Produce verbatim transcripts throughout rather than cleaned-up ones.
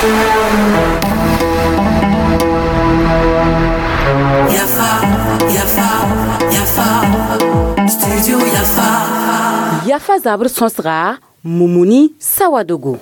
Yafa, Yafa, Yafa, Studio Yafa. Yafa zabr sõsga Mumuni Sawadogo.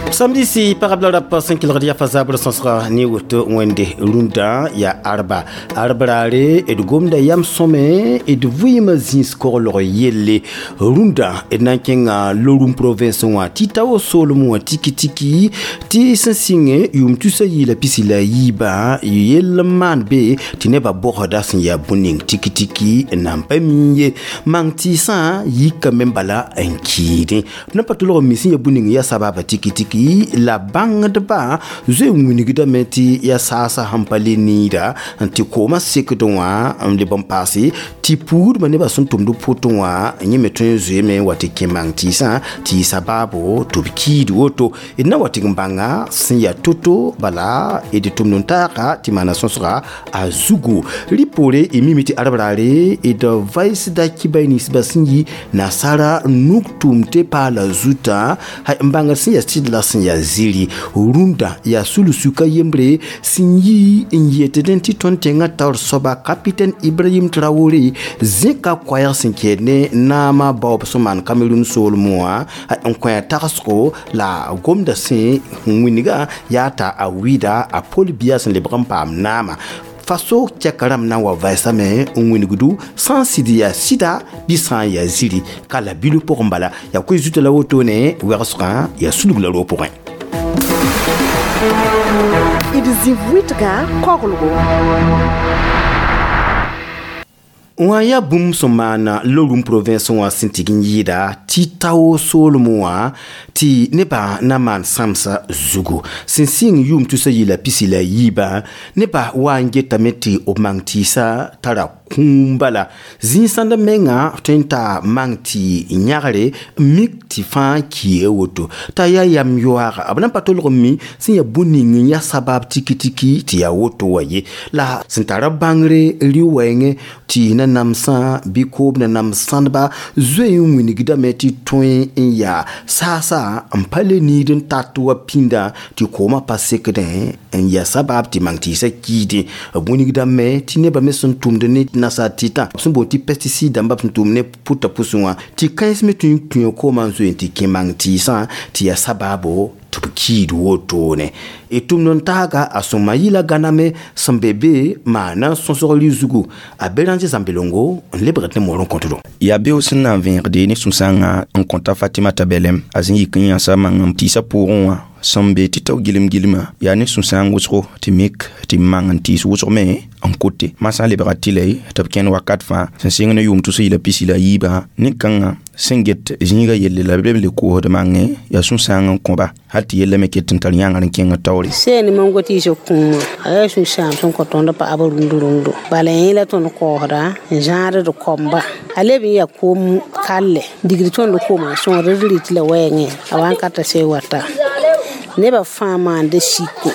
Samedi si parabla rap sẽn kelgd yafa zabr sõsga ne woto wẽnde rũndã yaa arba arbraare d gomda yam sõme d vɩɩmã zĩis koglg yelle rũndã d na n kẽnga Loroum province wã tɩ tao soolem wã tiki tiki tɩ sẽn sɩngẽ yʋʋm tusa yiila pisi la yiibã yell n maan be tɩ nebã bogda sẽn yaa bũn-ning tiki tiki n nan pa mi ye mang tɩɩsã yikame bala n kiidẽ d na pa tolg n mi sẽn ya bũn-ning yaa sababa tiki tiki la bãngdba zoe n wilgdame tɩ yaa saasa sẽn pa le niida n tɩ koomã sekd wã n leb n paase tɩ puudbã nebã sẽn tʋmd pʋtẽ wã yẽ me tõe n zoeeme n wa tɩ kẽ mang tɩɩsã tɩ yɩ sabaabo tɩ b kiid woto d na wa tɩ n bãnga sẽn yaa to-to bala d tʋmd n taaga tɩ maana sõsga a zugu rɩ poore y mime tɩ arbraare d vaɩsda kibay ninsbã sẽn yi nasaara nug tʋʋm tɩ paala zutã n bãngd sẽn yaa sɩd la sẽn yaa ziri rũndã yaa sul-suka yembre sẽn yi n yetdẽ tɩ tõnd tẽngã taoor soaba capitaine Ibrahim Traoré zẽka koɛɛg sẽn kɛɛd ne naamã baoob sẽn maan Cameroun soolem wã n kõ a tagsgo la gomda sẽn wĩnga yaa t'a a wɩɩda a Paul Biya sẽn lebg n paam naamã faso tɛka rãmb na n wa vɛɛsame n wĩnigdu sã n sɩd yaa sɩda bɩ sã n yaa ziri ka la bilu pʋgẽ bala yaa koe zuta la wotone wɛgsgã yaa sulg la roog pʋgẽ d zĩ wɩtga koglgo wã yaa bũmb sẽn maana Loroum province wã sẽn tɩg n yɩɩda tɩ tao soolem wã tɩ nebã na maan sãmsa zugu sẽn sɩng yʋʋm tusa yɩla pisi la yiibã nebã wa n getame tɩ b mang tɩɩsã tara kũum bala zĩig-sãnd menga tõe n t'a mang tɩ yãgre n mik tɩ fãa kiia woto t'a yaa yam yoaaga b na n pa tolg n mi sẽn yaa bũn-ning n yaa sabab tiki tiki tɩ yaa woto wã ye la sẽn tara bãngre rɩ-wɛɛngẽ tɩ na namsã bɩ koob na nams sãndba zoe n wilgdame tɩ tõe n yaa saasa n pa le niid n tat wa pĩndã tɩ koomã pa sekdẽ n yaa sabab tɩ mang tɩɩsã kiidẽ b wilgdame tɩ nebã me sẽn tʋmd ne nasaar tɩtã b sẽn boond tɩ pesticide dãmba b sẽn tʋm ne pʋta pʋsẽ wã tɩ kãens me tõe n kũa koomã n zoe n tɩ kẽ mang tɩɩsã tɩ yaa sabaabo tɩ b kiid wotone d tʋmd n taaga a sõma yɩla gãname sẽn be be maana sõsg rɩ-zugu a Béranger Zambelongo n lebgd ne moor n kõtdo yaa beoog sẽn na n vẽegde ne sũ-sãangã n kõta Fatimata Bɛlɛm a zĩ yik n yãsa mang n tɩɩsã pʋʋgẽ wã sẽn be tɩ tao gilem gilmã yaa ne sũ-sãang wʋsgo tɩ mik tɩ mang n tɩɩs wʋsg me n kote masã lebga tɩlɛ tɩ b kẽnd wakat fãa sẽn sɩng ne yʋʋm tus yɩla pisi la yiibã nin-kãngã sẽn get zĩigã yelle la b leb n le koosd mangẽ yaa sũ-sãang n kõba hal tɩ yella me ket n tar yãngr n kẽng taoore seen mango tɩɩsg kũumã a yaa sũ-sãam sẽn kõ tõnd paɣab rũnd rũndo bala yẽ la tõnd koosda n zãad d komba a leb n yaa koom kalle digd tõnd koomã sõgd d rɩt la wɛɛngẽ a wa n ka ta see wata nebã fãa maanda siko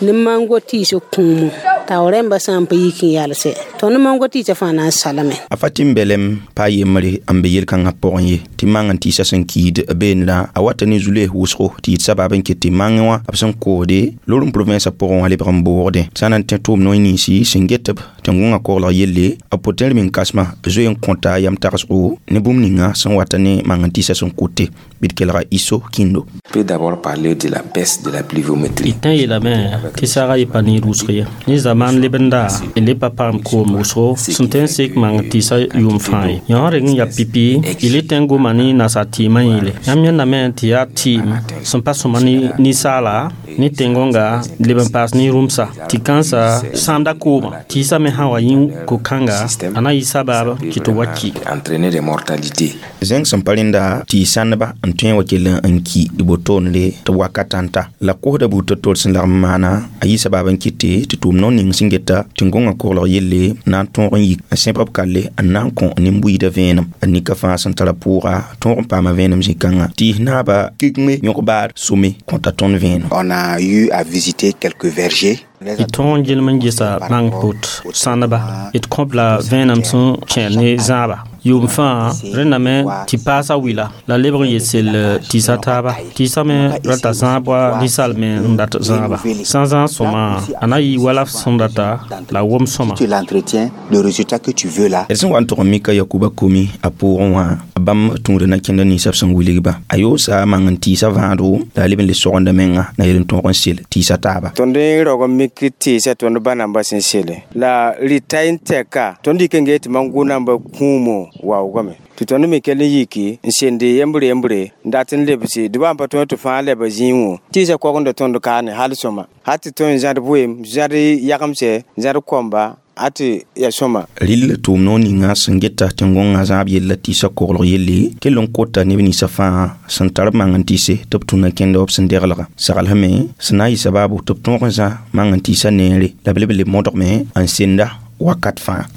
ne mango tɩɩsg kũumo tao rẽmbã sã n pa yik n yalse tõnd mango tɩɩsã fãa na n salame a Fatim Bɛlɛm pa yembre n be yel-kãngã pʋgẽ ye tɩ mang n tɩɩsã sẽn kiid beenrã a wata ne zu-loees wʋsgo tɩ yɩ sabab n ket tɩ mangẽ wã b sẽn koosde Loroum province pʋgẽ wã lebg n boogdẽ sã na n tẽ tʋʋm noy ninsi sẽn get b tẽn-gõngã koglg yelle b pʋtẽer min kãsmã zoe n kõta yam tagsgo ne bũmb ninga sẽn wata ne mang n tɩɩsã sẽn kote bɩ d kelga Iso Kindo peut d'abord parler de la baisse de la pluviométrie. D tõe n yeelame tɩ saagã yɩ pa niid wʋsg ye ne zamaan lebenda d le pa paam koom wʋsgo sẽn tõe n sek mang tɩɩsã yʋʋm fãa ye yõ reng n yaa pipi y le tõe n goma ne nasaar tɩɩmã yĩle yãmb yẽndame tɩ yaa tɩɩm sẽn pa sõma ninsaala ne tẽn-gõnga leb n paas ne rũmsa tɩ kãnsa sãamda koomã tɩɩsã me sã wa yĩ ko-kãnga a na yɩ sabab tɩ tɩ wa ki entraîner des mortalités. Zẽng sẽn pa rẽnda tɩ sãndba n tõe n wa kell n ki d botoonre tɩ wakat n ta la kosda buud to-tor sẽn lagm n maana a yɩ sabab n kɩte tɩ tʋʋm no ning sẽn geta tẽn-gõngã koglg yelle na n tõog n yik n sẽb b kalle n na n kõ nin-buiidã vẽenem a nika fãa sẽn tara pʋʋga tõog n paama vẽenem zĩ-kãngã tɩ naaba kikme yõg-baar some kõta tõnd vẽenem On a eu à visiter quelques vergers. D tõog n gilem n gesa mang pʋt sãneba d kõb la vẽenem sẽn kẽer ne zãaba yʋʋm fãa rẽndame tɩ paasa wila la lebg n yet sell tɩɩsa taaba tɩɩsa me rata zãab wa ninsaal me n dat zãaba sã n zãag sõma a na yɩ wala f sẽn data la wom sõma Tu l'entretiens, le résultat que tu veux là, d sẽn wa n tʋg n mika yakuba komi a pʋʋgẽ wã bãmb tũuda na kẽnda ninsã b sẽn wilgba a yoosa mang n tɩɩsa vãado la a leb n le sogenda menga na yel n tõog n sel tɩɩsa taaba tõnd n raog n mik tɩɩsa tõnd ba namba sẽn sele la rɩta n tɛka tõnd yik n gee tɩ man-gʋ namba kũumo waoogame tɩ tõnd me kell n yiki n sende yembre yembre n dat n lebse dɩ n pa tõe tɩ fãa leba zĩig wã tɩɩsa kogenda tõnd kaane hal sõma hal tɩ tõe n zãd vɩɩm zãd yagemse zãd komba ate ya sõma rɩl tʋʋm noor ninga sẽn geta tẽn-gõngã zãab yella tɩɩsa koglg yelle kell n kota neb ninsã fãa sẽn tar b mang n tɩɩse tɩ b tũna kẽnda b sẽn deglga saglsme sẽn na n yɩ sababu tɩ b tõog n zã mang n tɩɩsa neere la b leb n le modgme n senda wakat fãa.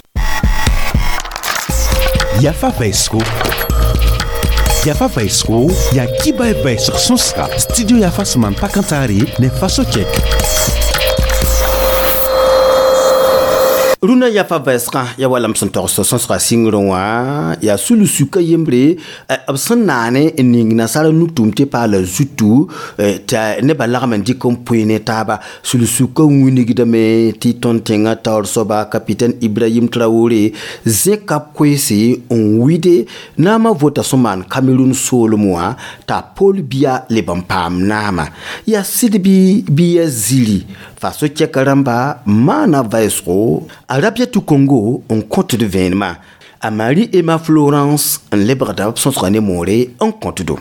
Yafa Vaisro. Yafa Vaisro, ya kiba e vaisg sõsga. Studio Yafa sẽn maan pakãntaare ne Faso Tchèque. Rũndã yafa vɛɛsgã ya wala m sẽn togs sõsga sɩngrẽ wã yaa sul-sukã yembre b sẽn naane n ning nasaara nugtʋʋm tɩ paala zutu t'a nebã lagm n dɩk n pʋɩ ne taaba sul-sukã wingdame tɩ tõnd tẽngã taoor soaba capitaine Ibrahim Traoré zẽka koeese n wide naamã vota sẽn maan Cameroun soolem wã t'a Paul Biya leb n paam naama yaa sɩd bɩ bɩ ya ziri Faso tchɛka rãmba maana vɛɛsgo Arabiatu Congo n kõtd vẽenemã a Marie Emma Florence n lebgda b sõsga ne moore n kõtdo.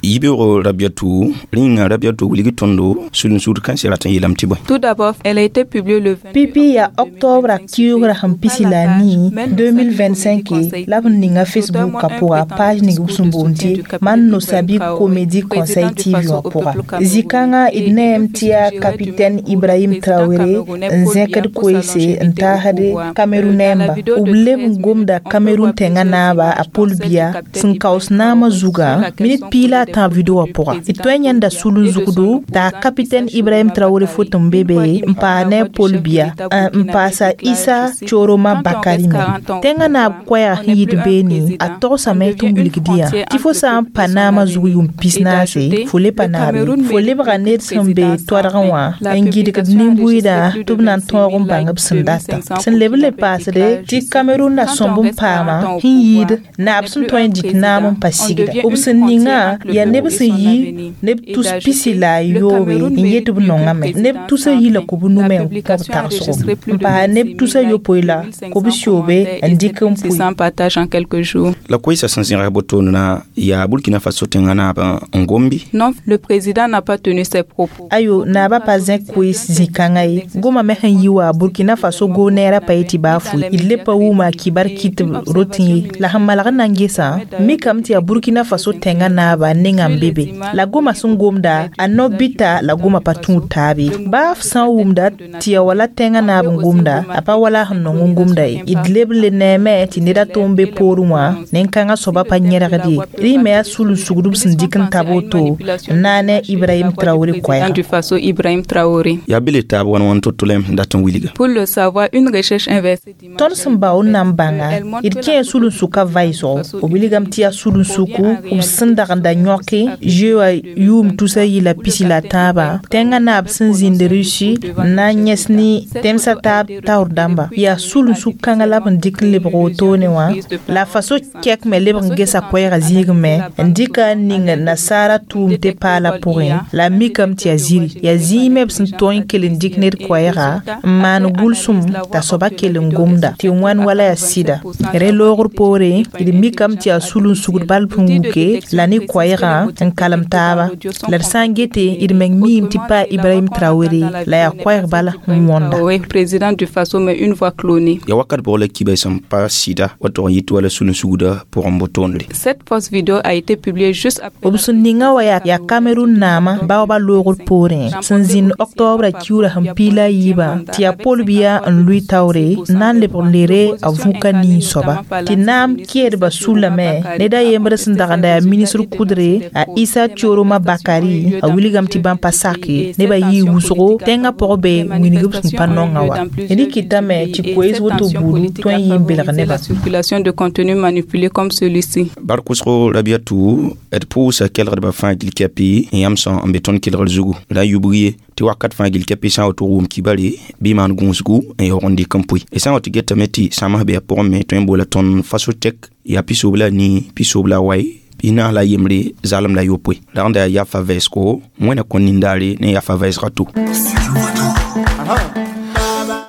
Yibeoogo Rabiatu rĩnga Rabiatu wilg tõndo sul-n-sugd kãensã rat n yeelame tɩ bõe. Tout d'abord, elle a été publiée le Pipi ya octobre kiugra sẽn pisi la nii deux mille vingt-cinq la b n ninga Facebook ka pʋga page ning b sẽn boond tɩ Man no Sabi Comédie Conseil T V wã pʋga. Zĩ-kãngã d neem tɩ yaa capitaine Ibrahim Traoré n zẽkd koeese n taasd Cameroun nɛɛmba. B leb n gomda Cameroun tẽngã naaba a Paul Biya sẽn kaoos naamã zugã minit piig la a tãab video wã pʋga. D tõe n yãnda sul-n-zugdo t'a capitaine Ibrahim Traoré foto n be be n paas ne Paul Biya n paasa Issa Tchoroma Bakary me. Tẽngã naab koɛɛg sẽn yit beene a togsame tɩ n wilgd yã tɩ fo sã n pa naamã zug yʋʋm pis-naase fo le pa naabe fo lebga ned sẽn be toadgẽ wã n gɩdgd nin-buiidã tɩ b na n tõog n bãng b sẽn data. Sẽn leb n le paasde tɩ Cameroun na sõmb n paama sẽn yɩɩd naab sẽn tõe n dɩk naam n pa sigda. B sẽn ningã yaa neb sẽn yi neb tus pisi la a yoobe n yet b nongame neb tusa yila kʋ b nume n kõ b tagsgo n paas neb tusa yopoe la kʋ b sɩoobe n dɩk n pʋɩ. La koeesã sẽn zẽgs botoond na yaa Burkina Faso tẽngã naab n gombi. Non, le président n'a pas tenu ses propos. Ayo naabã pa zẽk koees zĩ-kãngã ye goma me sẽn yi wa Burkina Faso goneerã pa yetɩ baa fʋɩ d le pa wʋma a kibar kɩt b rotẽ ye la sẽn malg n na n gesã mikame tɩ yaa Burkina Faso tẽngã naaba nengã n be be la goma sẽn gomda a no-bɩta la goma pa tũud taabe baa f sã n wʋmda tɩ ya wala tẽngã naab n gomda a pa wala sẽn nong n gomda ye d leb n le neeme tɩ ned a tʋʋm be poorẽ wã nin-kãngã soaba pa yẽregd ye rẽ me yaa sul-n-sugd b sẽn dɩk n tab woto n na ne Ibrahim Traoré koɛɛga. Du Faso Ibrahim Traoré. Yaa be le taab wãn wãn to-to la n dat n wilga. Pour le savoir, une recherche inversée Tõnd sẽn bao n na n bãnga d kẽe sul-n-sʋka vaɩsgo b wilgame tɩ yaa sul-n-suku b sẽn dagenda yõke zoe wã yʋʋm tusa yɩla pisi la tãabã tẽngã naab sẽn zĩnd Russie n na n yẽs ne tẽmsã taab taoor dãmba yaa sul-n-suk kãngã la b n dɩk n lebg wotone wã la Faso kɛk me lebg n gesa koɛɛgã zĩigẽ me n dɩka n ning nasaara tʋʋm tɩ paala pʋgẽ la mikame tɩ yaa ziri yaa zĩig me b sẽn tõe n kell n dɩk ned koɛɛga n maan gʋlsem t'a soaba kell n gomda tɩ wãn wala yaa sɩda rẽ loogr poore d mikame tɩ yaa sul-n-sugd bal sẽn wuke la ne koɛɛgã n kalem taaba la d sã n gete d meng miime tɩ pa Ibrahim Traoré la yaa koɛɛg bala n wõnda. Président du Faso mais une voix clonée. Ya wakat bʋg la kiba sẽn pa sɩda wa tʋg n yit wala sul-n-sugdã pʋgẽ botoondre. Cette fausse vidéo a été publiée juste après. B sẽn ninga wa yaa Cameroun naamã baoobã loogr poorẽ sẽn zĩnd octobre kiuurã sẽn piig la a yiibã tɩ yaa Paul Biya n lʋɩ taoore n na n lebg n lere a vũka nin soaba tɩ naam kɛɛdbã sulame ned a yembr sẽn dagenda yaa ministre kʋdre yele a Isa Tchoroma Bakari a wilgame tɩ bãmb pa sake nebã yɩɩ wʋsgo tẽngã pʋgẽ be wĩneg b sẽn pa nongã wa d kɩtame tɩ koees woto buudu tõe n yɩ n belg nebã. Circulation de contenu manipulé comme celui-ci. Bar kʋsgo Rabiatu d pʋʋsa kelgdbã fãa gil kɛpɩ n yãmb sã n be tõnd kelgr zugu la yubg ye tɩ wakat fãa gil kɛpɩ sã n woto wʋm kibare bɩ maan gũusgu n yaoog n dɩk n pʋɩ y sã n wa tɩ getame tɩ sãms bɩ a pʋgẽ me tõe n boola tõnd Faso-Tek yaa pisob la nii pisob la wai pisnaas la yembre zalem la yopoe ragda yaa yafa vɛɛsgo wẽna kõ nindaare ne yafa vɛɛsga to.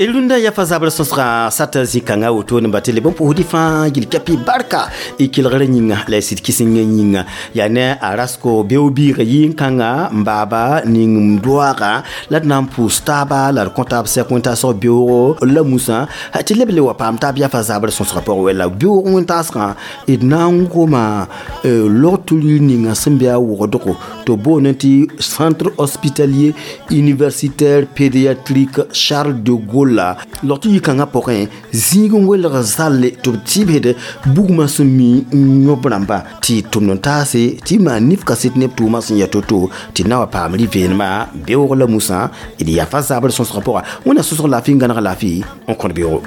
Rũndã yafa zabr sõsga sata zĩ-kãngã woto ne ba tɩ leb n pʋʋsdɩ fãa gil kɛpɩ barka y kelgrã yĩnga la y sɩd kɩsengã yĩnga yaa ne a rasko beoog-biigã yɩ-kãnga n baaba ning n doaaga la d na n pʋʋs taaba la d kõ taab sɛk wẽn-taasg beoogo la musã tɩ leb le wa paam taab yafa zabr sõsgã pʋgẽ wɛla beoog wẽn-taasgã d na n goma log-tʋ ninga sẽn be a wʋgdgo tɩ boond tɩ Centre hospitalier universitaire pédiatrique Charles de Gaulle la log tɩ yɩ-kãngã pʋgẽ zĩig n welg zalle tɩ b tɩbsd bugmã sẽn mi n yõb rãmba tɩ tʋmd n taase tɩ maan nif kaset neb tʋʋmã sẽn ya to-to tɩ na wa paam rɩ-veenema beoog la musã d yafa zabr sõsgã pʋga wẽnna sõsg laafɩ n gãneg laafɩ n kõt beoogo.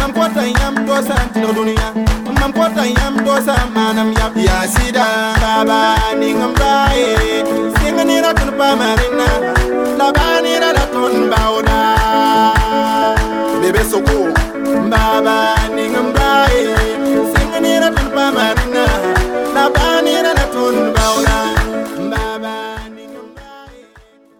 Mam kota yãmb doosã maanam yab yaa sɩda baaba ning n baa ye.